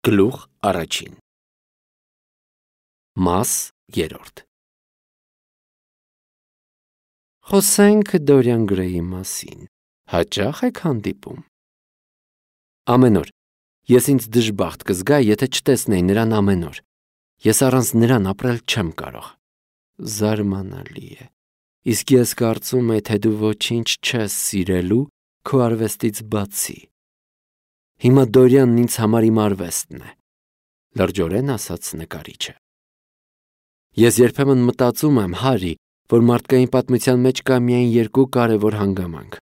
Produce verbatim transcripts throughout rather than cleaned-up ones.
Գլուխ առաջին Մաս երրորդ Խոսենք Դորիան Գրեյի մասին։ Հաճա՞խ եք հանդիպում։ Ամեն օր ես ինձ դժբախտ կզգայի, եթե չտեսնեի նրան ամեն օր։ Ես առանց նրան ապրել չեմ կարող։ Զարմանալի է։ Իսկ ես կարծում եի, թե դու ոչինչ չես սիրելու քո արվեստից բացի։ Հիմա Դորիանն ինձ համար իմ արվեստն է, լրջորեն ասաց նկարիչը։ Ես երբեմն մտածում եմ, Հարի, որ մարդկային պատմության մեջ կա միայն երկու կարևոր հանգամանք։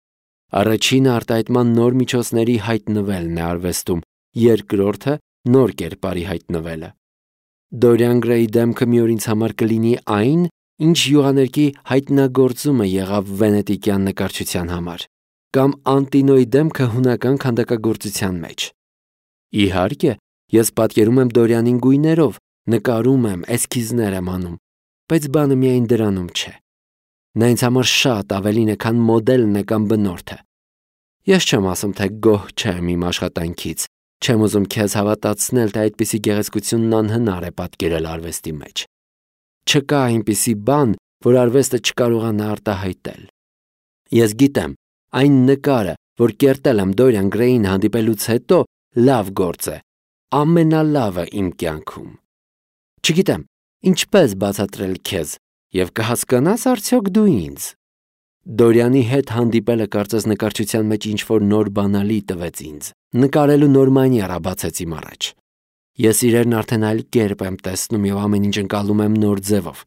Առաջինը արտահայտման նոր միջոցների հայտնվելն է արվեստում, երկրորդը նոր կերպարի հայտնվելը։ Դորիան Գրեյի դեմքը մի օր ինձ համար կլինի այն, ինչ յուղաներկի հայտնագործումը եղավ վենետիկյան նկարչության համար, կամ Անտինոյի դեմքը հունական քանդակագործության մեջ։ Իհարկե, ես պատկերում եմ Դորիանին գույներով, նկարում եմ, էսքիզներ եմ անում, բայց բանը միայն դրանում չէ։ Նա ինձ համար շատ ավելին է, քան մոդելն է կամ բնորդը։ Ես չեմ ասում, թե գոհ չեմ իմ աշխատանքից, չեմ ուզում քեզ հավատացնել, թե այդպիսի գեղեցկությունն անհնար է պատկերել արվեստի մեջ։ Չկա այնպիսի բան, որ արվեստը չկարողանա արտահայտել։ Ես գիտեմ, այն նկարը, որ կերտել եմ Դորիան Գրեյին հանդիպելուց հետո, լավ գործ է, ամենալավը իմ կյանքում։ Չգիտեմ, ինչպես բացատրել քեզ, և կհասկանաս արդյոք դու ինձ։ Դորիանի հետ հանդիպելը կարծես նկարչության մեջ ինչ-որ նոր բանալի տվեց ինձ, նկարելու նոր մանիերա բացեց իմ առաջ։ Ես իրերն արդեն այլ կերպ եմ տեսնում և ամեն ինչ ընկալում եմ նոր ձևով։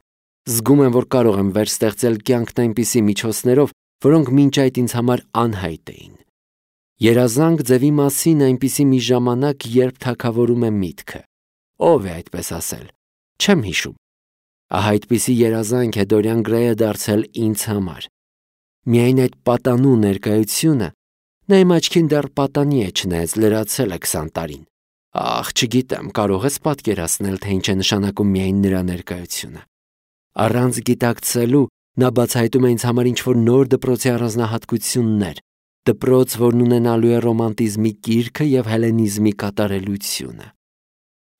Զգում եմ, որ կարող եմ վերստեղծել կյանքն այնպիսի միջոցներով, որոնք մինչ այդ ինձ համար անհայտ էին։ Երազանք ձևի մասին այնպիսի մի ժամանակ, երբ թագավորում է միտքը։ Ո՞վ է այդպես ասել։ Չեմ հիշում։ Ահա այդպիսի երազանք է Դորիան Գրեյը դարձել ինձ համար։ Միայն այդ պատանու ներկայությունը, նա իմ աչքին դեռ պատանի է, չնայած լրացել է քսան տարին։ Ախ, չգիտեմ, կարող ես պատկերացնել, թե ինչ է նշանակում միայն նրա ներկայությունը։ Առանց գիտակցելու նա բացահայտում է ինձ համար ինչ-որ նոր դպրոցի առանձնահատկություններ, դպրոց, որն ունենալու է ռոմանտիզմի կիրքը և հելենիզմի կատարելությունը։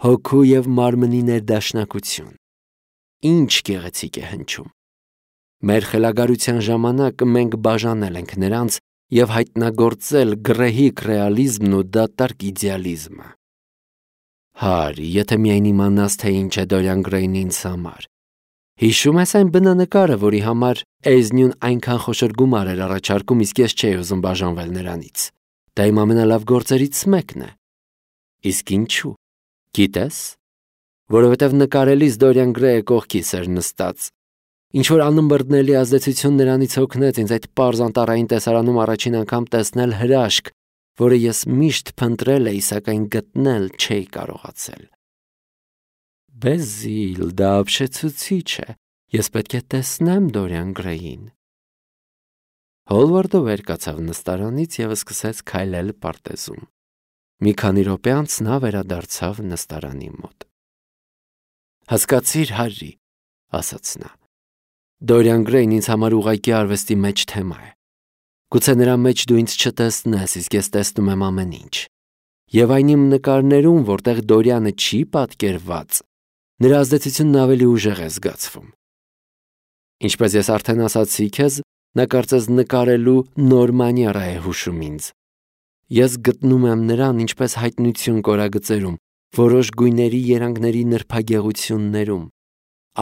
Հոգու և մարմնի ներդաշնակություն։ Ինչ գեղեցիկ է հնչում։ Մեր խելագարության ժամանակ մենք բաժանել ենք նրանց և հայտնագործել գռեհիկ ռեալիզմն ու դատարկ իդեալիզմը։ Հարի, եթե միայն իմանաս, թե ինչ է Դորիան Գրեյն ինձ համար։ Հիշում ես այն բնանկարը, որի համար Էզնյուն այնքան խոշոր գումար էր առաջարկում, իսկ ես չէի ուզում բաժանվել նրանից։ Դա իմ ամենալավ գործերից մեկն է։ Իսկ ինչու։ Գիտես, որովհետև նկարելիս Դորիան Գրեյը կողքիս էր նստած։ Ինչ-որ անըմբռնելի ազդեցություն նրանից հոգնեց ինձ այդ պարզ անտառային տեսարանում առաջին անգամ տեսնել հրաշք, որը ես միշտ փնտրել էի, սակայն գտնել չէի կարողացել։ Բեզիլ, դա ապշեցուցիչ է։ Ես պետք է տեսնեմ Դորիան Գրեյին։ Հոլվարդը վեր կացավ նստարանից և սկսեց քայլել պարտեզում։ Մի քանի րոպե անց նա վերադարձավ նստարանի մոտ։ Հասկացիր, Հարի, ասաց նա։ Դորիան Գրեյն ինձ համար ուղղակի արվեստի մեջ թեմա է։ Գուցե նրա մեջ դու ինձ չտեսնես, իսկ ես տեսնում եմ ամեն ինչ։ Եվ այն իմ նկարներում, որտեղ Դորիանը չի պատկերված, նրա ազդեցությունն ավելի ուժեղ է զգացվում։ Ինչպես ես արդեն ասացի քեզ, նա կարծես նկարելու նոր մանիերա է հուշում ինձ։ Ես գտնում եմ նրան ինչպես հայտնություն կորագծերում, որոշ գույների երանգների նրբագեղություններում։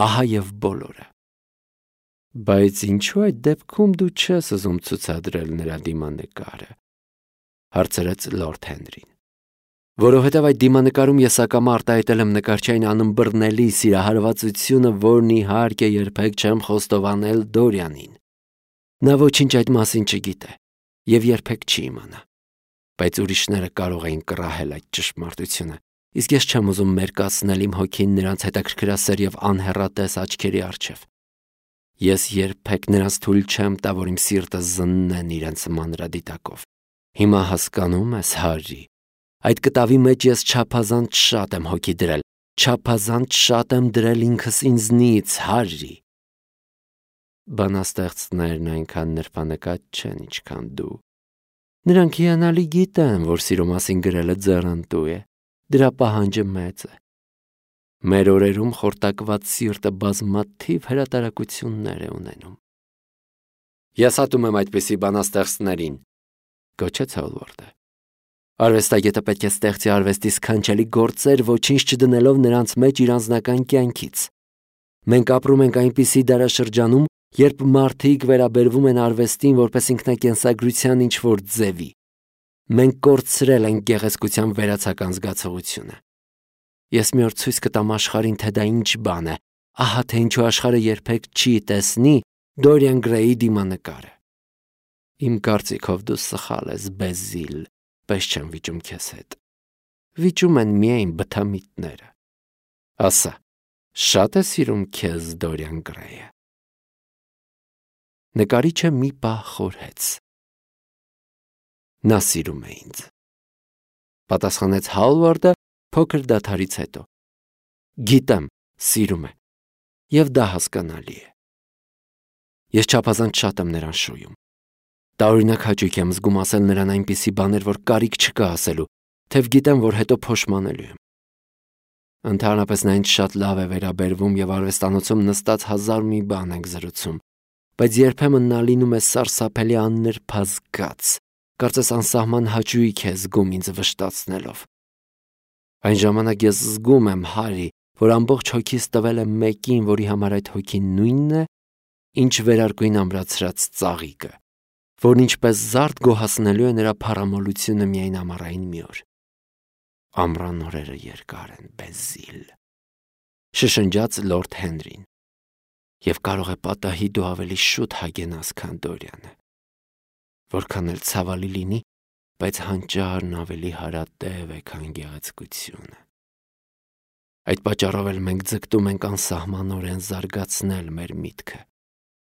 Ահա և բոլորը։ Բայց ինչու այդ դեպքում դու չես ուզում ցուցադրել նրա դիմանկարը, հարցրեց Լորդ Հենրին։ Որովհետև այդ դիմանկարում ես ակամա արտահայտել եմ նկարչային անըմբռնելի սիրահարվածությունը, որն իհարկե երբեք չեմ խոստովանել Դորիանին։ Նա ոչինչ այդ մասին չգիտե և երբեք չի իմանա։ Բայց ուրիշները կարող էին կռահել այդ ճշմարտությունը, իսկ ես չեմ ուզում մերկացնել իմ հոգին նրանց հետաքրքրասեր և անհեռատես աչքերի առջև։ Ես երբեք նրանց թույլ չեմ տա, որ իմ սիրտը զննեն իրենց մանրադիտակով։ Հիմա հասկանում ես, Հարի, այդ կտավի մեջ ես չափազանց շատ եմ հոգի դրել, չափազանց շատ եմ դրել ինքս ինձնից, Հարի։ Բանաստեղծներն այնքան նրբանկատ չեն, ինչքան դու։ Նրանք հիանալի գիտեն, որ սիրո մասին գրելը ձեռնտու է, դրա պահանջը մեծ է։ Մեր օրերում խորտակված սիրտը բազմաթիվ հրատարակություններ է ունենում։ Ես հատում եմ այդպիսի բանաստեղծներին, գոչեց Հոլվորդը։ Արվեստագետը պետք է ստեղծի արվեստի սքանչելի գործեր, ոչինչ չդնելով նրանց մեջ իր անձնական կյանքից։ Մենք ապրում ենք այնպիսի դարաշրջանում, երբ մարդիկ վերաբերվում են արվեստին որպես ինքնակենսագրության ինչ-որ ձևի։ Մենք կորցրել ենք գեղեցկության վերացական զգացողությունը։ Ես մի օր ցույց կտամ աշխարհին, թե դա ինչ բան է, ահա թե ինչու աշխարհը երբեք չի տեսնի Դորիան Գրեյի դիմանկարը։ Իմ կարծիքով դու սխալ ես, Բեզիլ, պես չեմ վիճում քեզ հետ։ Վիճում են միայն բթամիտները։ Ասա, շատ է սիրում քեզ Դորիան Գրեյը։ Նկարիչը մի պահ խորհեց։ Նա սիրում է ինձ, պատասխանեց Հոլվորդը փոքր դադարից հետո։ Գիտեմ, սիրում է, եւ դա հասկանալի է։ Ես չափազանց շատ եմ նրան շոյում։ Տարօրինակ հաճույք եմ զգում ասել նրան այնպիսի բաներ, որ կարիք չկա ասելու, թեև գիտեմ, որ հետո փոշմանելու եմ։ Ընդհանրապես նա ինձ շատ լավ է վերաբերվում եւ արվեստանոցում նստած հազար մի բան ենք զրուցում, բայց երբեմն նա լինում է սարսափելի աննրբազգաց, կարծես անսահման հաճույք է զգում ինձ վշտացնելով։ Այն ժամանակ ես զգում եմ, Հարի, որ ամբողջ հոգիս տվել եմ մեկին, որի համար այդ հոգին նույնն է, ինչ վերարկուին ամրացրած ծաղիկը, որն ինչպես զարդ գոհացնելու է նրա փառամոլությունը միայն ամառային մի օր։ Ամռան օրերը երկար են, Բեզիլ, շշնջաց Լորդ Հենրին, եւ կարող է պատահի դու ավելի շուտ հագենաս, քան Դորիանը, որքան էլ ցավալի լինի, բայց հանճարն ավելի հարատև է, քան գեղեցկությունը։ Այդ պատճառով էլ մենք ձգտում ենք անսահմանորեն զարգացնել մեր միտքը։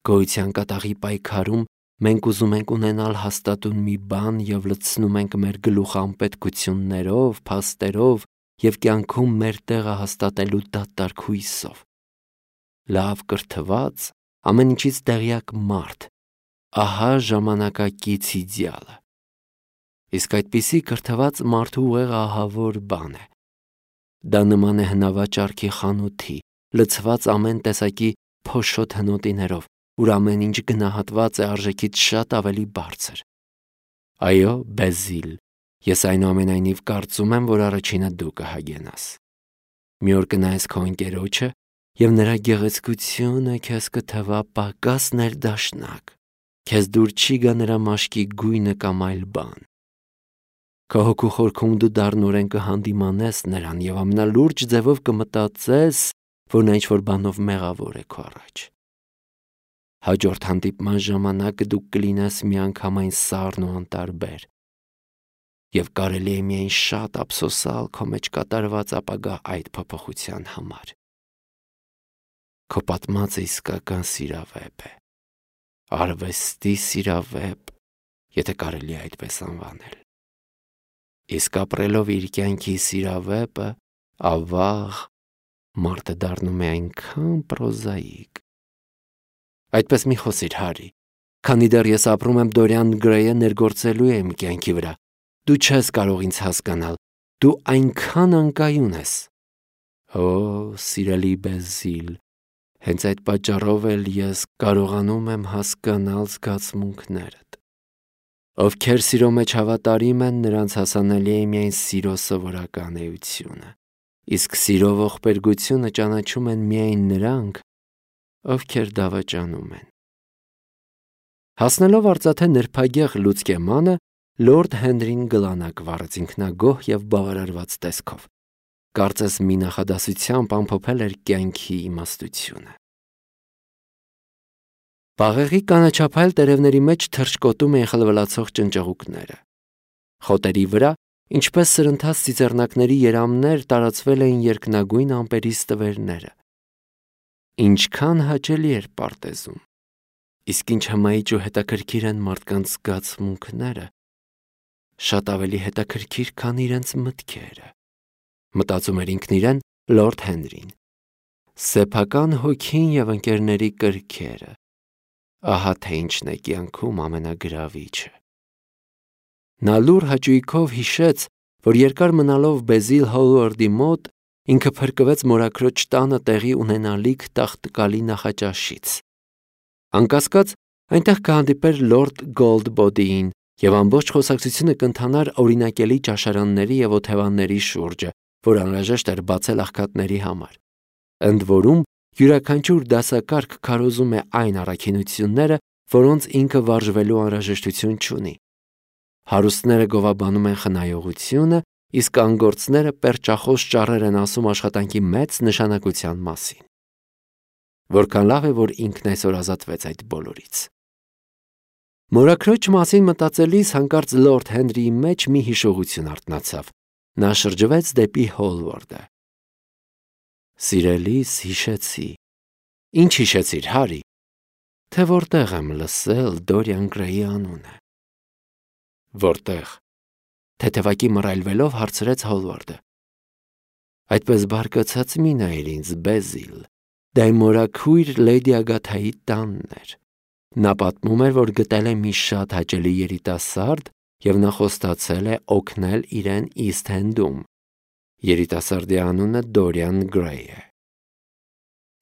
Գոյության կատաղի պայքարում մենք ուզում ենք ունենալ հաստատուն մի բան եւ լցնում ենք մեր գլուխը անպետքություններով, փաստերով եւ կյանքում մեր տեղը հաստատելու դատարկ հույսով։ Լավ կրթված, ամեն ինչից տեղյակ մարդ, ահա ժամանակակից իդեալը։ Իսկ այդպիսի կրթված մարդու ուղեղը ահավոր բան է։ Դա նման է հնավաճառքի խանութի, լցված ամեն տեսակի փոշոտ հնոտիներով, ուր ամեն ինչ գնահատված է արժեքից շատ ավելի բարձր։ Այո, Բեզիլ, ես այնուամենայնիվ կարծում եմ, որ առաջինը դու կհագենաս։ Մի օր կնայես քո ընկերոջը, եւ նրա գեղեցկությունը քեզ կթվա պակաս ներդաշնակ, քեզ դուր չի գա նրա մաշկի գույնը կամ այլ բան։ Քո հոգու խորքում դու դառնորեն կհանդիմանես նրան եւ ամենալուրջ ձևով կմտածես, որ նա ինչ-որ բանով մեղավոր է քո առաջ։ Հաջորդ հանդիպման ժամանակ դու կլինես միանգամայն սառն ու անտարբեր, եւ կարելի է միայն շատ ափսոսալ քո մեջ կատարված ապագա այդ փոփոխության համար։ Քո պատմածը իսկական սիրավեպ է, արվեստի սիրավեպ, եթե կարելի է այդպես անվանել։ Իսկ ապրելով իր կյանքի սիրավեպը, ավաղ, մարդը դառնում է այնքան պրոզաիկ։ Այդպես մի խոսիր, Հարի, քանի դեռ ես ապրում եմ Դորիան Գրեյը ներգործելու եմ կյանքի վրա, դու չես կարող ինձ հասկանալ, դու այնքան անկայուն ես։ Օ, սիրելի Բեզիլ, հենց այդ պատճառով էլ ես կարողանում եմ հասկանալ զգացմունքներդ։ Ովքեր սիրո մեջ հավատարիմ են, նրանց հասանելի է միայն սիրո սովորական էությունը, իսկ սիրո ողբերգությունը ճանաչում են միայն նրանք, ովքեր դավաճանում են։ Հասնելով արծաթե նրբագեղ լուցկեմանը, Լորդ Հենրին գլանակ վառեց ինքնագոհ եւ բավարարված տեսքով, կարծես մի նախադասությամբ ամփոփել էր կյանքի իմաստությունը։ Բաղեղի կանաչափայլ տերևների մեջ թռչկոտում էին խլվլացող ճնճղուկները։ Խոտերի վրա, ինչպես սրընթաց ծիծեռնակների երամներ, տարածվել էին երկնագույն ամպերի ստվերները։ Ինչքան հաճելի էր պարտեզում։ Իսկ ինչ հմայիչ ու հետաքրքիր են մարդկանց զգացմունքները, շատ ավելի հետաքրքիր, քան իրենց մտքերը, մտածում էր ինքն իրեն Լորդ Հենրին։ Սեփական հոգին եւ ընկերների կրքերը, ահա թե ինչն է կյանքում ամենագրավիչը։ Նա լուր հաճույքով հիշեց, որ երկար մնալով Բեզիլ Հոլվարդի մոտ, ինքը փրկվեց մորաքրոջ տանը տեղի ունենալիք տաղտկալի նախաճաշից։ Անկասկած, այնտեղ կհանդիպեր լորդ Գոլդբոդիին և ամբողջ խոսակցությունը կընթանար օրինակելի ճաշարանների և օթևանների շուրջը, որ անհրաժեշտ էր բացել աղքատների համար։ Ընդ որում, յուրաքանչյուր դասակարգ քարոզում է այն առաքինությունները, որոնց ինքը վարժվելու անհրաժեշտություն չունի։ Հարուստները գովաբանում են խնայողությունը, իսկ անգործները պերճախոս ճառեր են ասում աշխատանքի մեծ նշանակության մասին։ Որքան լավ է, որ ինքն այսօր ազատվեց այդ բոլորից։ Մորաքրոջ մասին մտածելիս հանկարծ լորդ Հենրիի մեջ մի հիշողություն արթնացավ։ Նա շրջվեց դեպի Հոլվարդը։ Սիրելիս, հիշեցի։ Ինչ հիշեցիր, Հարի։ Թե որտեղ եմ լսել Դորիան Գրեյի անունը։ Որտեղ։ Թեթևակի մռայլվելով հարցրեց Հոլվարդը։ Այդպես բարկացած մի նայիր ինձ, Բեզիլ, դա իմ մորաքույր լեդի Ագաթայի տանն էր։ Նա պատմում էր, որ գտել է մի շատ հաճելի երիտասարդ և նա խոստացել է օգնել իրեն Իսթ Էնդում։ Երիտասարդի անունը Դորիան Գրեյ է։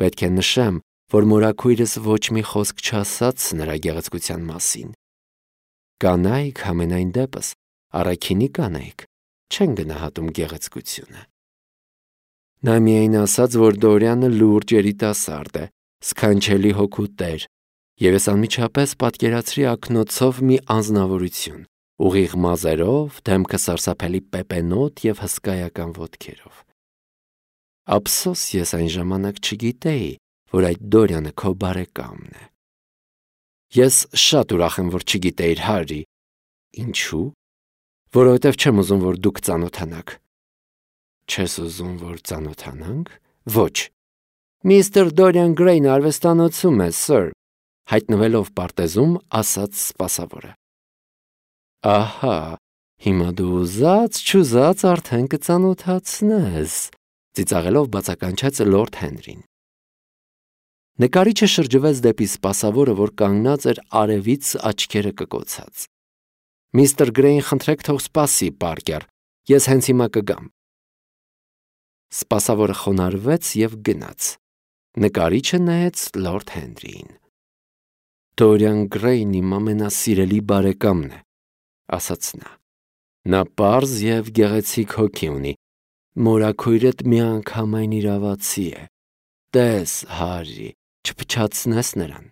Պետք է նշեմ, որ մորաքույրս ոչ մի խոսք չասաց նրա գեղեցկության մասին։ Կանայք, համենայն դեպս, առաքինի կանայք, չեն գնահատում գեղեցկությունը։ Նա միայն ասաց, որ Դորիանը լուրջ երիտասարդ է, սքանչելի հոգու տեր, և ես անմիջապես պատկերացրի ակնոցով մի անձնավորություն, ուղիղ մազերով, դեմքը սարսափելի պեպենոտ և հսկայական ոտքերով։ Ափսոս ես այն ժամանակ չգիտեի, որ այդ Դորիանը քո բարեկամն է։ Ես շատ ուրախ եմ, որ չգիտեիր, Հարի։ Ինչու՞։ Որովհետև չեմ ուզում, որ դուք ծանոթանաք։ Չես ուզում, որ ծանոթանանք։ Ոչ։ Միստր Դորիան Գրեյն արվեստանոցում է, սըր, հայտնվելով պարտեզում, ասաց սպասավորը։ Ահա, հիմա դու ուզած չուզած արդեն կծանոթացնես, ծիծաղելով բացականչեց լորդ Հենրին։ Նկարիչը շրջվեց դեպի սպասավորը, որ կանգնած էր արևից աչքերը կկոցած։ Միստր Գրեյին խնդրեք թող սպասի, Պարկեր, ես հենց հիմա կգամ։ Սպասավորը խոնարհվեց և գնաց։ Նկարիչը նայեց լորդ Հենրիին։ Դորիան Գրեյն իմ ամենասիրելի բարեկամն է, ասաց նա։ Նա պարզ և գեղեցիկ հոգի ունի։ Մորաքույրդ միանգամայն իրավացի է։ Տես, Հարի, չփչացնես նրան։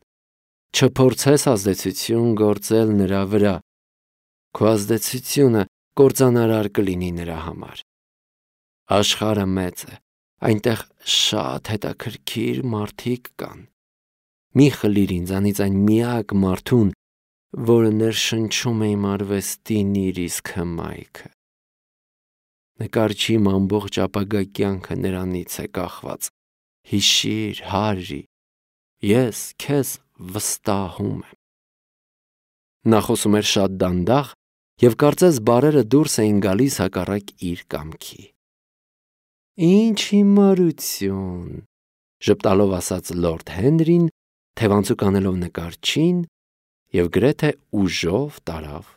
Չփորձես ազդեցություն գործել նրա վրա։ Քո ազդեցությունը կործանարար կլինի նրա համար։ Աշխարհը մեծ է, այնտեղ շատ հետաքրքիր մարդիկ կան։ Մի խլիր ինձանից այն միակ մարդուն, որը ներշնչում է իմ արվեստին իր իսկ հմայքը։ Նկարչի իմ ամբողջ ապագա կյանքը նրանից է կախված։ Հիշիր, Հարի, ես քեզ վստահում եմ։ Նա խոսում էր շատ դանդաղ, և կարծես բառերը դուրս էին գալիս հակառակ իր կամքի։ Ինչ հիմարություն, ժպտալով ասաց լորդ Հենրին, թևանցուկ անելով նկարչին և գրեթե ուժով տարավ